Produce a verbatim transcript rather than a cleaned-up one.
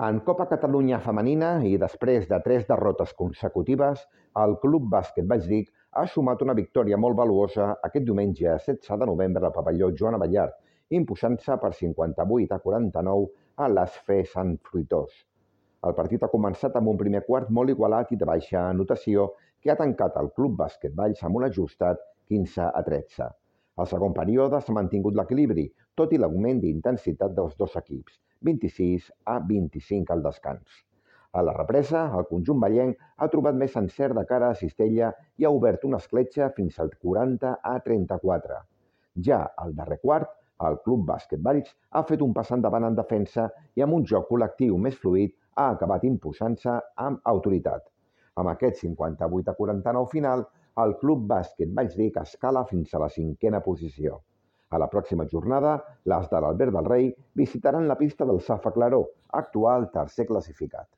En Copa Catalunya femenina i després de tres derrotes consecutives, el Club Bàsquet Valldic ha sumat una victòria molt valuosa aquest diumenge setze de novembre al pavelló Joan Abellart, imposant-se per cinquanta-vuit a quaranta-nou a l'A S F Sant Fruitós. El partit ha començat amb un primer quart molt igualat i de baixa anotació que ha tancat el Club Bàsquet Valls amb un ajustat quinze a tretze. Al segon període s'ha mantingut l'equilibri, tot i l'augment d'intensitat dels dos equips, vint-i-sis a vint-i-cinc al descans. A la represa, el conjunt vallenc ha trobat més encert de cara a Cistella i ha obert una escletxa fins al quaranta a trenta-quatre. Ja al darrer quart, el Club Bàsquet Valls ha fet un pas endavant en defensa i amb un joc col·lectiu més fluid ha acabat imposant-se amb autoritat. Amb aquest cinquanta-vuit a quaranta-nou final, el Club Bàsquet Valldic escala fins a la cinquena posició. A la pròxima jornada, les de l'Albert del Rei visitaran la pista del Safa Claró, actual tercer classificat.